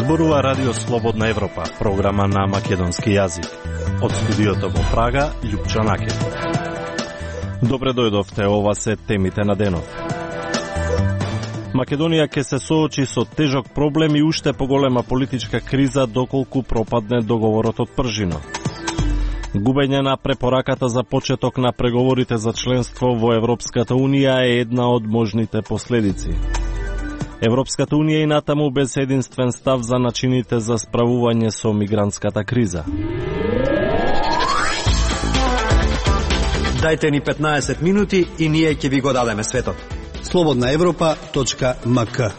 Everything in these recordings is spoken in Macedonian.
Зборува Радио Слободна Европа, програма на македонски јазик. Од студиото во Прага, Љупчо Накев. Добре дојдовте, ова се темите на денот. Македонија ќе се соочи со тежок проблем и уште поголема политичка криза доколку пропадне договорот од Пржино. Губење на препораката за почеток на преговорите за членство во Европската Унија е една од можните последици. Европската Унија и натаму без единствен став за начините за справување со мигрантската криза. Дајте ни 15 минути и ние ќе ви го дадеме светот. slobodnaevropa.mk.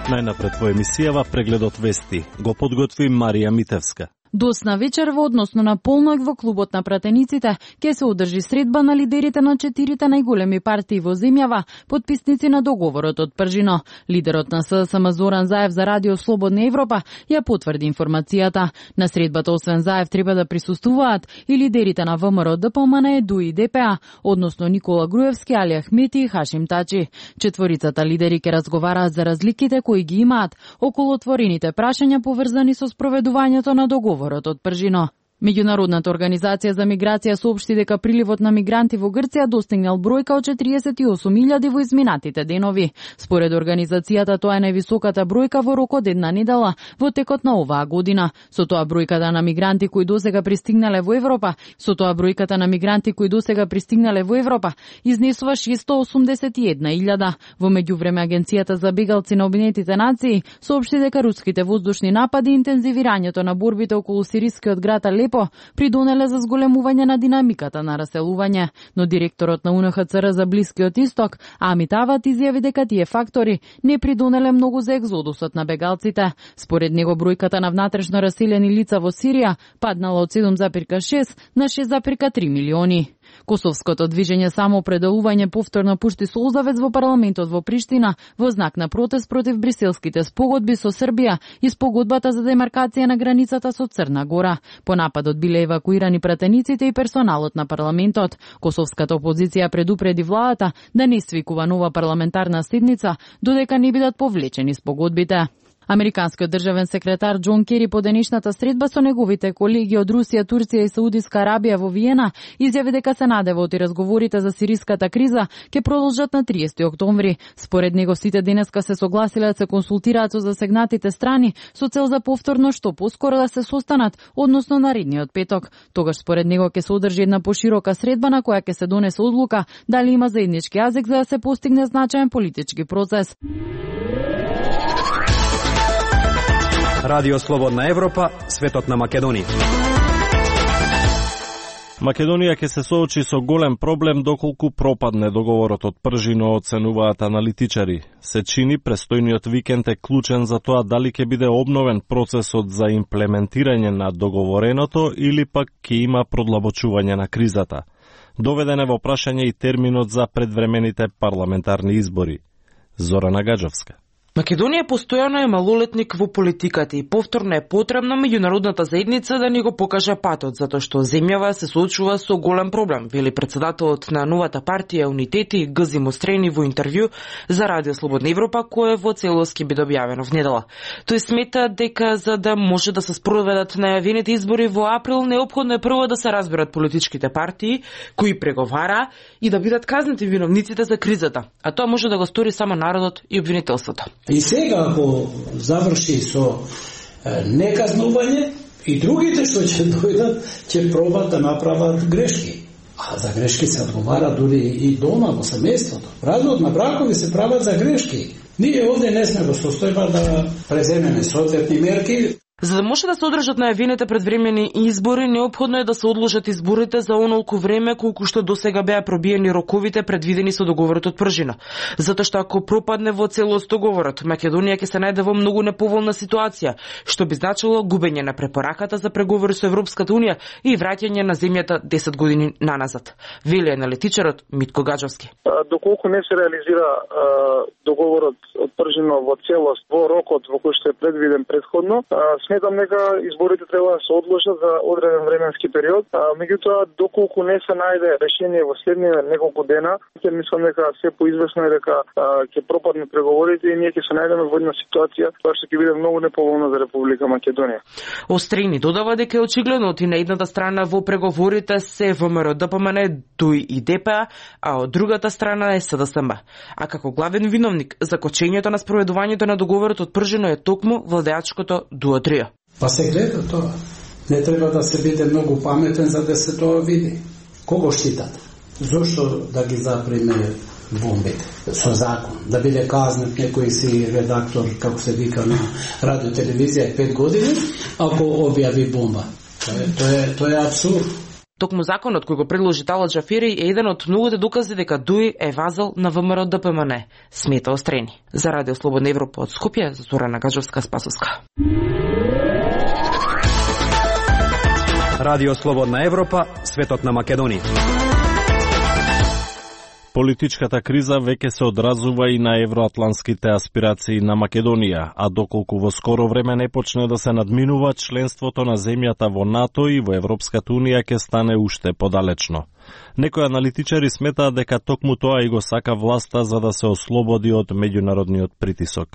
Најнапред во емисијава прегледот вести го подготви Марија Митевска. Досна вечерва, односно на полнок во клубот на пратениците, ќе се одржи средба на лидерите на 4 најголеми партии во земјава, потписници на договорот од Пржино. Лидерот на СДСМ Зоран Заев за Радио Слободна Европа ја потврди информацијата. На средбата освен Заев треба да присуствуваат и лидерите на ВМРО, ДПМН, ЕДУ и ДПА, односно Никола Груевски, Али Ахмети и Хашим Тачи. Четворицата лидери ќе разговараат за разликите кои ги имаат околу отворените прашања поврзани со спроведувањето на договорот од Пржино. Меѓународната организација за миграција соопшти дека приливот на мигранти во Грција достигнал бројка од 48.000 во изминатите денови. Според организацијата тоа е највисоката бројка во рок од една недела во текот на оваа година. Со тоа бројката на мигранти кои досега пристигнале во Европа изнесува 681.000. Во меѓувреме агенцијата за бегалци на Обединетите нации соопшти дека руските воздушни напади и интензивирањето на борбите околу сирискиот град Алепо придонеле за зголемување на динамиката на раселување, но директорот на УНХЦР за Блискиот Исток, Амит Ават, изјави дека тие фактори не придонеле многу за екзодусот на бегалците. Според него бројката на внатрешно раселени лица во Сирија паднала од 7,6 на 6,3 милиони. Косовското движење Самоопределување повторно пушти солзавец во парламентот во Приштина во знак на протест против бриселските спогодби со Србија и спогодбата за демаркација на границата со Црна Гора. По нападот биле евакуирани пратениците и персоналот на парламентот. Косовската опозиција предупреди владата да не свикува нова парламентарна седница додека не бидат повлечени спогодбите. Американскиот државен секретар Џон Кери по денешната средба со неговите колеги од Русија, Турција и Саудиска Арабија во Виена изјави дека се надеваат и разговорите за сириската криза ќе продолжат на 30 октомври. Според него сите денеска се согласиле да се консултираат со засегнатите страни со цел за повторно што поскоро да се состанат, односно наредниот петок. Тогаш според него ќе се одржи една поширока средба на која ќе се донесе одлука дали има заеднички јазик за да се постигне значаен политички процес. Радио Слободна Европа, светот на Македонија. Македонија ќе се соочи со голем проблем доколку пропадне договорот од Пржино, оценуваат аналитичари. Се чини престојниот викенд е клучен за тоа дали ќе биде обновен процесот за имплементирање на договореното или пак ќе има продлабочување на кризата. Доведен е во прашање и терминот за предвремените парламентарни избори. Зорана Гаджовска. Македонија постојано е малолетник во политиката и повторно е потребна меѓународната заедница да ни го покаже патот, затоа што земјава се соочува со голем проблем, вели претседателот на новата партија Унитети Гзи Мострени во интервју за Радио Слободна Европа, кое во целост ќе биде објавено в недела. Тој смета дека за да може да се спроведат најавените избори во април, неопходно е прво да се разберат политичките партии кои преговара и да бидат казнати виновниците за кризата, а тоа може да го стори само народот и обвинителството. И сега, ако заврши со неказнување, и другите што ќе дојдат, ќе пробат да направат грешки. А за грешки се одговара дури и дома, во семејството. Развод на бракови се прават за грешки. Ние овде не сме во состојба да преземеме соодветни мерки. За да може да се одржат најавените предвремени избори, неопходно е да се одложат изборите за онолку време колку што досега беа пробиени роковите предвидени со договорот од Пржино. Затоа што ако пропадне во целост договорот, Македонија ќе се најде во многу неповолна ситуација, што би значило губење на препораката за преговори со Европската Унија и враќање на земјата 10 години наназад. Вели аналитичарот Митко Гаджовски. Доколку не се реализира договорот од Пржино во целост во рокот во кој што е предвиден претходно, сметам дека изборите треба да се одложат за одреден временски период, меѓутоа доколку не се најде решение во следните неколку дена, ќе мислам дека се поизвестно е дека ќе пропадне преговорите и ние ќе се најдеме во една ситуација која што ќе биде многу неповолна за Република Македонија. Острини додава дека е очигледно од на едната страна во преговорите се ВМРО ДПМН, ДУИ и ДПА, а од другата страна е СДСМ. А како главен виновник за кочењето на спроведувањето на договорот од Пржино е токму владеачкото дуотрио. Па се гледа тоа. Не треба да се биде многу паметен за да се тоа види. Кого штитат? Зошто да ги запреме бомбите со закон? Да биде казнет некој си редактор, како се вика на радио телевизија 5 години, ако објави бомба. Тоа е абсурд. Токму законот кој го предложи Талат Джафери е еден од многуте докази дека ДУИ е вазал на ВМРО ДПМН, смета Острени. За Радио Слободна Европа од Скопје, Зорана Гаджовска-Спасовска. Радио Слободна Европа, светот на Македонија. Политичката криза веќе се одразува и на евроатлантските аспирации на Македонија, а доколку во скоро време не почне да се надминува, членството на земјата во НАТО и во Европската Унија ќе стане уште подалечно. Некои аналитичари сметаат дека токму тоа и го сака власта за да се ослободи од меѓународниот притисок.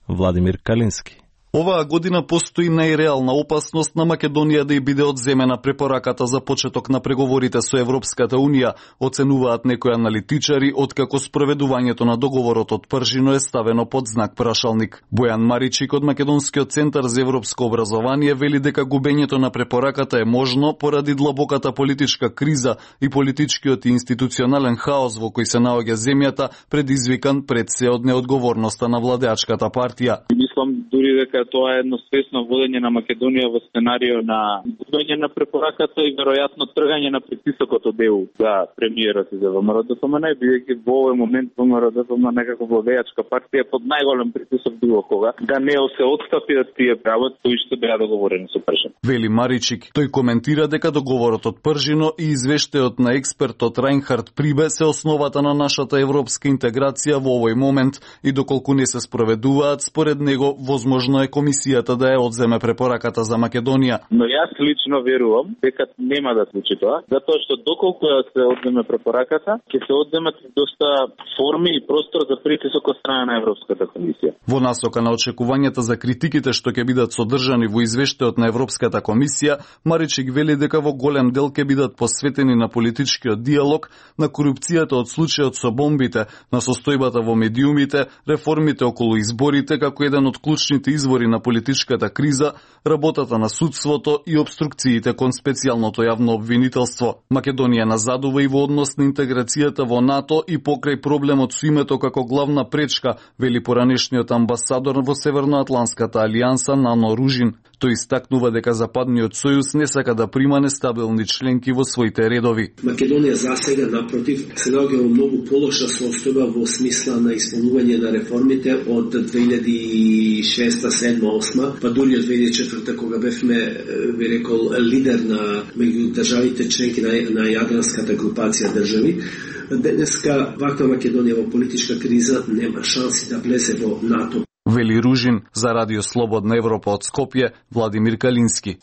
Владимир Калински. Оваа година постои најреална опасност на Македонија да ја биде одземена препораката за почеток на преговорите со Европската Унија, оценуваат некои аналитичари, откако спроведувањето на договорот од Пржино е ставено под знак прашалник. Бојан Маричик од Македонскиот центар за европско образование вели дека губењето на препораката е можно поради длабоката политичка криза и политичкиот и институционален хаос во кој се наоѓа земјата, предизвикан пред се од неодговорноста на владеачката партија. Мислам дури дека тоа е едно свесно водење на Македонија во сценарио на губење на препораката и веројатно тргање на притисокот од ЕУ за премиерот и за ВМРО ДПМН, бидејќи во овој момент ВМРО ДПМН како владеачка партија е под најголем притисок било кога да не се отстапи да тие прават кои што беа договорени со Пржино. Вели Маричик. Тој коментира дека договорот од Пржино и извештајот на експертот Рајнхард Прибе се основата на нашата европска интеграција во овој момент и доколку не се спроведуваат, според него возможно е комисијата да ја одземе препораката за Македонија. Но јас лично верувам дека нема да случи тоа, затоа што доколку се одземе препораката, ќе се одземат доста форми и простор за притисок од страна на Европската комисија. Во насока на очекувањата за критиките што ќе бидат содржани во извештајот на Европската комисија, Маричик вели дека во голем дел ќе бидат посветени на политичкиот диалог, на корупцијата од случајот со бомбите, на состојбата во медиумите, реформите околу изборите како еден од клучните извори на политичката криза, работата на судството и обструкциите кон специјалното јавно обвинителство. Македонија назадува и во однос на интеграцијата во НАТО и покрај проблемот со името како главна пречка, вели поранешниот амбасадор во Северноатлантската алијанса Нано Ружин. Тој истакнува дека Западниот сојуз не сака да прима нестабилни членки во своите редови. Македонија засега напротив се наоѓа во многу полоша состојба во смисла на исполнување на реформите од 2006-2007-2008, па дури од 2004 кога бевме, би рекол, лидер на меѓу државите членки на јадранската групација држави. Денеска ваква Македонија во политичка криза нема шанси да влезе во НАТО. Вели Ружин. За Радио Слободна Европа од Скопје, Владимир Калински.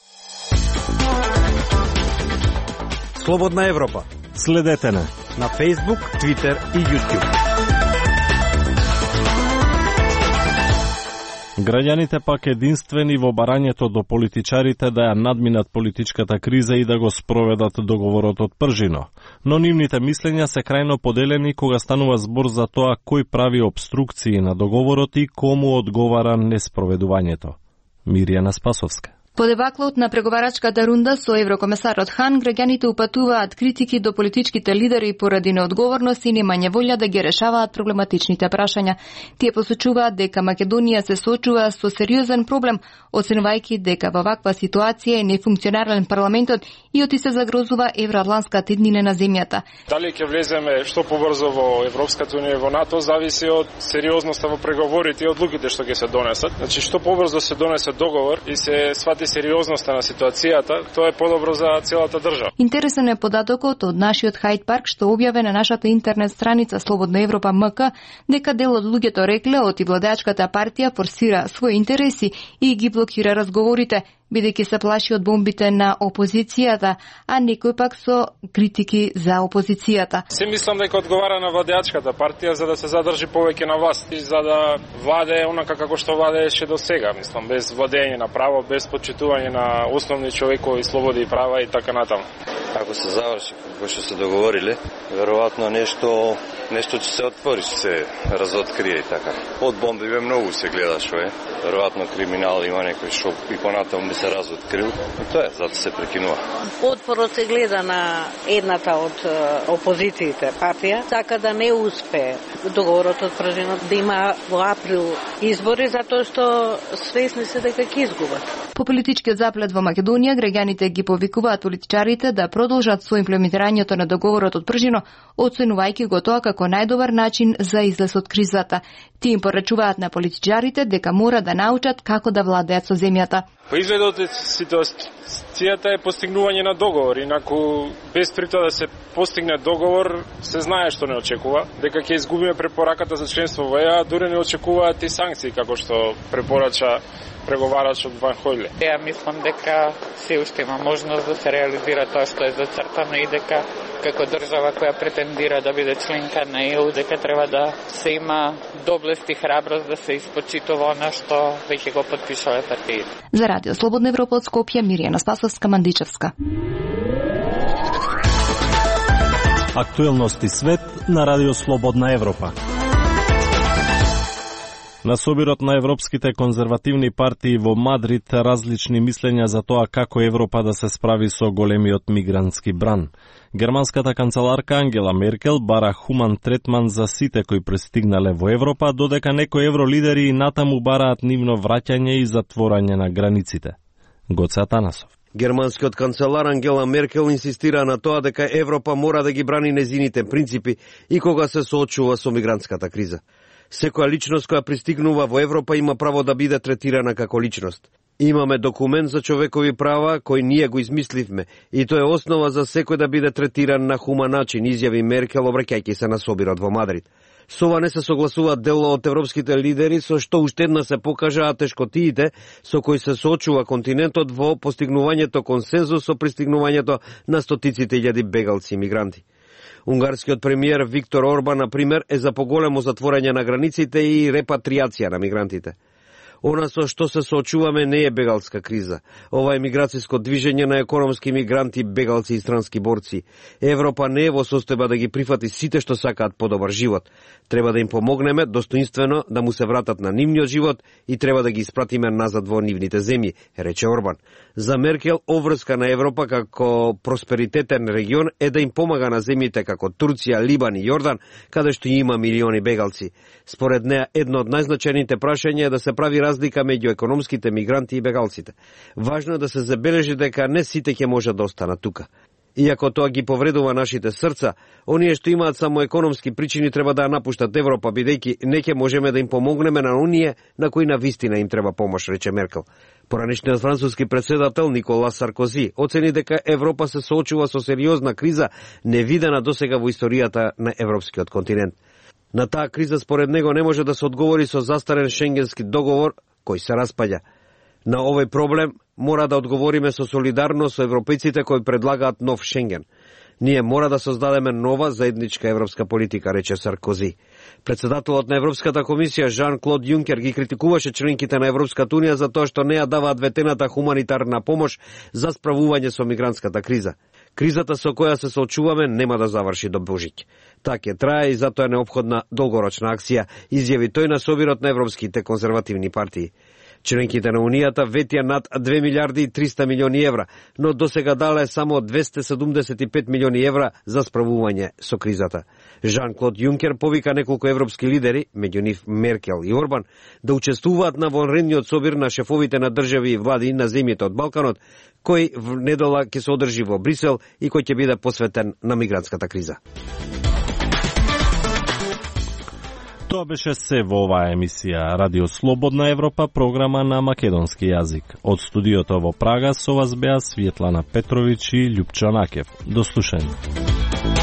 Слободна Европа. Следете на Facebook, Twitter и YouTube. Граѓаните пак единствени во барањето до политичарите да ја надминат политичката криза и да го спроведат договорот од Пржино. Но нивните мислења се крајно поделени кога станува збор за тоа кој прави обструкции на договорот и кому одговара неспроведувањето. Мирјана Спасовска. По дебаклот на преговарачката рунда со еврокомесарот Хан, граѓаните упатуваат критики до политичките лидери поради неодговорност и немање волја да ги решаваат проблематичните прашања. Тие посочуваат дека Македонија се соочува со сериозен проблем, оценувајќи дека во ваква ситуација е нефункционален парламентот и оти се загрозува евроатлантската еднина на земјата. Дали ќе влеземе што побрзо во Европската унија и во НАТО зависи од сериозноста во преговорите и одлуките што ќе се донесат. Значи што побрзо се донесе договор и се свати свати сериозноста на ситуацијата, тоа е подобро за целата држава. Интересен е податокот од нашиот Хайд парк што објаве на нашата интернет страница Слободна Европа МК дека дел од луѓето рекле оти владеачката партија форсира своји интереси и ги блокира разговорите, бидејќи се плаши од бомбите на опозицијата, а некој пак со критики за опозицијата. Се мислам дека одговара на владеачката партија за да се задржи повеќе на власт и за да владее онака како што владееше до сега, мислам, без владење на право, без почитување на основни човекови слободи и права и така натаму. Ако се заврши како што се договориле, веројатно нешто ќе се отвори, ќе се разоткрие и така. Од бомби многу се гледа што е. Веројатно криминал има некој што и понатаму би се разоткрил. И тоа е, затоа се прекинува. Отпорот се гледа на едната од опозициите партија, сака да не успее договорот од Пржинот да има во април избори, затоа што свесни се дека ќе изгубат. По политичкиот заплет во Македонија, граѓаните ги повикуваат политичарите да продолжат со имплементирањето на договорот од Пржино, оценувајќи го тоа како најдобар начин за излез од кризата. Тие им порачуваат на политичарите дека мора да научат како да владеат со земјата. По изгледот ситуацијата е постигнување на договор, инаку без при тоа да се постигне договор, се знае што не очекува, дека ќе изгубиме препораката за членство во ЕА, дури не очекуваат и санкции како што препорача преговарачот Ван Хојле. Ја мислам дека се уште има можност да се реализира тоа што е зацртано и дека како држава која претендира да биде членка на ЕУ, дека треба да се има доблест и храброст да се испочитува она што веќе го потпишале партиите. За Радио Слободна Европа од Скопје, Миријана Спасовска, Мандичевска. Актуелности свет на Радио Слободна Европа. На собирот на европските конзервативни партии во Мадрид различни мислења за тоа како Европа да се справи со големиот мигрантски бран. Германската канцеларка Ангела Меркел бара хуман третман за сите кои пристигнале во Европа, додека некои евролидери и натаму бараат нивно враќање и затворање на границите. Гоце Атанасов. Германскиот канцелар Ангела Меркел инсистира на тоа дека Европа мора да ги брани незините принципи и кога се соочува со мигрантската криза. Секоја личност која пристигнува во Европа има право да биде третирана како личност. Имаме документ за човекови права кој ние го измисливме и тоа е основа за секој да биде третиран на хуман начин, изјави Меркел обраќајќи се на собирот во Мадрид. Со ова не се согласуваат дел од европските лидери, со што уште една се покажаа тешкотиите со кои се соочува континентот во постигнувањето консензус со пристигнувањето на стотиците илјади бегалци и мигранти. Унгарскиот премиер Виктор Орбан, например, е за поголемо затворање на границите и репатриација на мигрантите. Она со што се соочуваме не е бегалска криза. Ова е миграцијско движење на економски мигранти, бегалци и странски борци. Европа не е во состојба да ги прифати сите што сакаат подобар живот. Треба да им помогнеме достоинствено да му се вратат на нивниот живот и треба да ги испратиме назад во нивните земји, рече Орбан. За Меркел, обврска на Европа како просперитетен регион е да им помага на земјите како Турција, Либан и Јордан, каде што има милиони бегалци. Според неа, едно од најзначајните прашања е да се прави разлика меѓу економските мигранти и бегалците. Важно е да се забележи дека не сите ќе можат да останат тука. Иако тоа ги повредува нашите срца, оние што имаат само економски причини треба да ја напуштат Европа, бидејќи не ќе можеме да им помогнеме на оние на кои навистина им треба помош, рече Меркел. Поранешниот француски претседател Никола Саркози оцени дека Европа се соочува со сериозна криза невидена досега во историјата на европскиот континент. На таа криза според него не може да се одговори со застарен шенгенски договор кој се распаѓа. На овој проблем мора да одговориме со солидарност со европејците кои предлагаат нов Шенген. Ние мора да создадеме нова заедничка европска политика, рече Саркози. Председателот на Европската комисија Жан-Клод Јункер ги критикуваше членките на Европската унија за тоа што не ја даваат ветената хуманитарна помош за справување со мигрантската криза. Кризата со која се соочуваме нема да заврши до Божиќ. Така трае и затоа е неопходна долгорочна акција, изјави тој на собирот на европските конзервативни партии. Членките на Унијата ветија над 2 милиарди и 300 милиони евра, но досега дале само 275 милиони евра за справување со кризата. Жан-Клод Јункер повика неколку европски лидери, меѓу нив Меркел и Орбан, да учествуваат на вонредниот собир на шефовите на држави и влади на земјите од Балканот, кој в недела ќе се одржи во Брисел и кој ќе биде посветен на мигрантската криза. Тоа беше се во оваа емисија Радио Слободна Европа, програма на македонски јазик. Од студиото во Прага со вас беа Светлана Петровиќ и Љупчо Накев. До слушање.